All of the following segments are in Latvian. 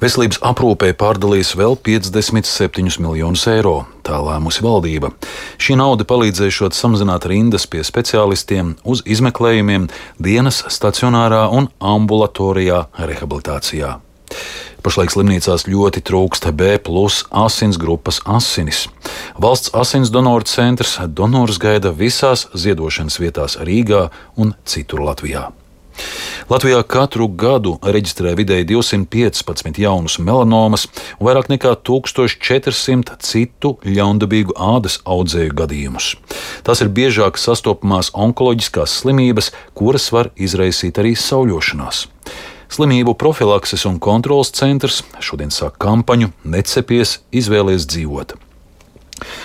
Veselības aprūpei pārdalīs vēl 57 miljonus eiro. Tā lēmusi valdība. Šī nauda palīdzēšot samazināt rindas pie speciālistiem uz izmeklējumiem dienas stacionārā un ambulatorijā rehabilitācijā. Pašlaik slimnīcās ļoti trūkst B+ asins grupas asinis. Valsts asins donoru centrs donorus gaida visās ziedošanas vietās Rīgā un citur Latvijā. Latvijā katru gadu reģistrē vidēji 215 jaunus melanomas un vairāk nekā 1400 citu ļaundabīgu ādas audzēju gadījumus. Tās ir biežāk sastopamās onkoloģiskās slimības, kuras var izraisīt arī sauļošanās. Slimību profilakses un kontroles centrs šodien sāk kampaņu Necepies, izvēlies dzīvot.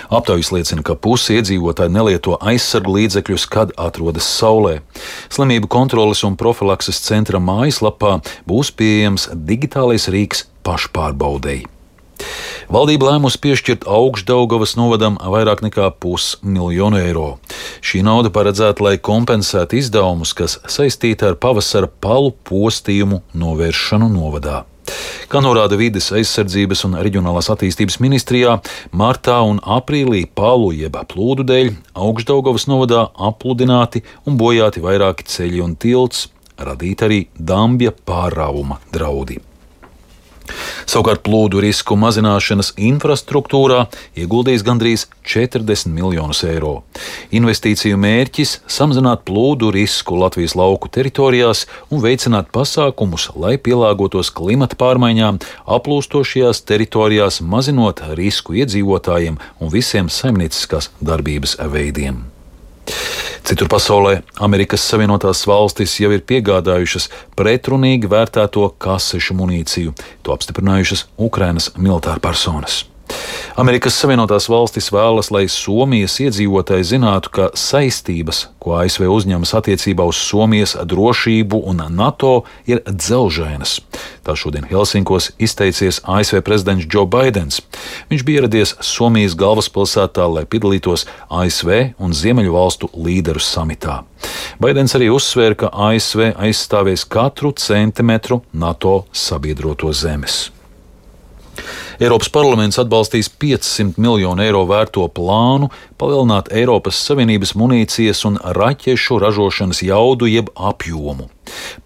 Aptaujas liecina, ka pusi iedzīvotāji nelieto aizsargu līdzekļus, kad atrodas saulē. Slimību kontroles un profilakses centra mājaslapā būs pieejams digitālais rīks pašpārbaudei. Valdība lēmusi piešķirt Augšdaugavas novadam vairāk nekā 500 000 eiro. Šī nauda paredzēta, lai kompensētu izdevumus, kas saistīti ar pavasara palu postījumu novēršanu novadā. Kā norāda Vides aizsardzības un reģionālās attīstības ministrijā, martā un aprīlī palu jeb plūdu dēļ Augšdaugavas novadā apludināti un bojāti vairāki ceļi un tilts, radīti arī dambja pārrāvuma draudi. Savukārt plūdu risku mazināšanas infrastruktūrā ieguldījis gandrīz 40 miljonus eiro. Investīciju mērķis - samazināt plūdu risku Latvijas lauku teritorijās un veicināt pasākumus, lai pielāgotos klimata pārmaiņām aplūstošajās teritorijās, mazinot risku iedzīvotājiem un visiem saimnieciskās darbības veidiem. Citur pasaulē Amerikas Savienotās valstis jau ir piegādājušas pretrunīgi vērtēto kasešu munīciju. To apstiprinājušas Ukrainas militārpersonas. Amerikas Savienotās valstis vēlas, lai Somijas iedzīvotāji zinātu, ka saistības, ko ASV uzņemas attiecībā uz Somijas drošību un NATO, ir dzelžainas. Tā šodien Helsinkos izteicies ASV prezidents Joe Baidens. Viņš bija ieradies Somijas galvaspilsētā, lai piedalītos ASV un Ziemeļu valstu līderu samitā. Baidens arī uzsvēra, ka ASV aizstāvēs katru centimetru NATO sabiedroto zemes. Eiropas parlaments atbalstīs 500 miljonu eiro vērto plānu palielināt Eiropas Savienības munīcijas un raķešu ražošanas jaudu jeb apjomu.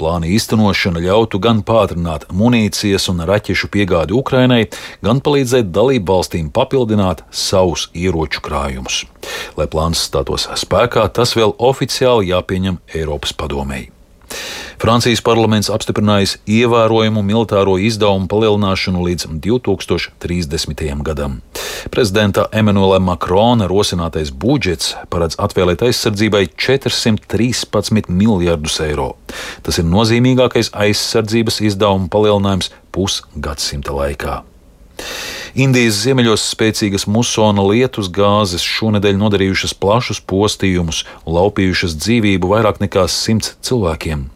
Plāna īstenošana ļautu gan pātrināt munīcijas un raķešu piegādi Ukrainai, gan palīdzēt dalībvalstīm papildināt savus ieroču krājumus. Lai plāns stātos spēkā, tas vēl oficiāli jāpieņem Eiropas padomei. Francijas parlaments apstiprinājis ievērojumu militāro izdevumu palielināšanu līdz 2030. gadam. Prezidenta Emmanuela Macrona rosinātais budžets paredz atvēlēt aizsardzībai 413 miljardus eiro. Tas ir nozīmīgākais aizsardzības izdevumu palielinājums pusgadsimta laikā. Indijas ziemeļos spēcīgas musona lietus gāzes šonedēļ nodarījušas plašus postījumus un laupījušas dzīvību vairāk nekā 100 cilvēkiem.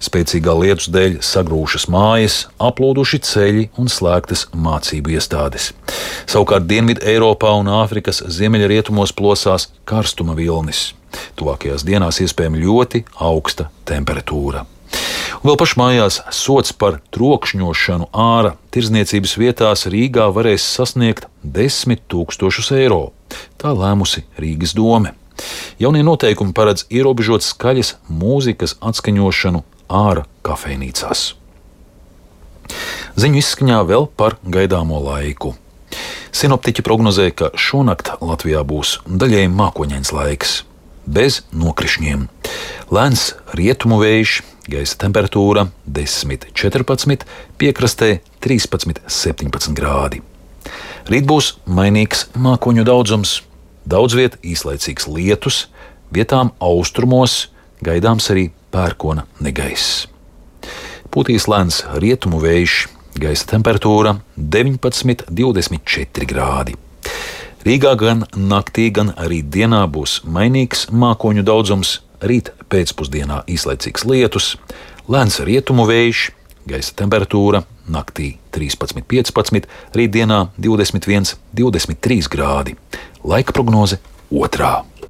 Spēcīgā lietus dēļ sagrūšas mājas, aplūduši ceļi un slēgtas mācību iestādes. Savukārt Dienvidu Eiropā un Āfrikas ziemeļrietumos plosās karstuma vilnis. Tuvākajās dienās iespējama ļoti augsta temperatūra. Un vēl pašmājās sods par trokšņošanu ārā tirdzniecības vietās Rīgā varēs sasniegt 10 000 eiro. Tā lēmusi Rīgas dome. Jaunie noteikumi paredz ierobežot skaļas mūzikas atskaņošanu ārā kafejnīcās. Ziņu izskaņā vēl par gaidāmo laiku. Sinoptiķi prognozē, ka šonakt Latvijā būs daļēji mākoņains laiks, bez nokrišņiem. Lēns rietumu vējš, gaisa temperatūra 10–14, piekrastē 13–17 grādi. Rīt būs mainīgs mākoņu daudzums, daudz viet īslaicīgs lietus, vietām austrumos gaidāms arī pērkona negaiss. Pūtīs lēns rietumu vējš, gaisa temperatūra 19–24 grādi. Rīgā gan naktī, gan arī dienā būs mainīgs mākoņu daudzums, rīt pēcpusdienā īslaicīgs lietus, lēns rietumu vējš, gaisa temperatūra naktī 13–15, rītdienā 21–23 grādi. Laika prognoze 2.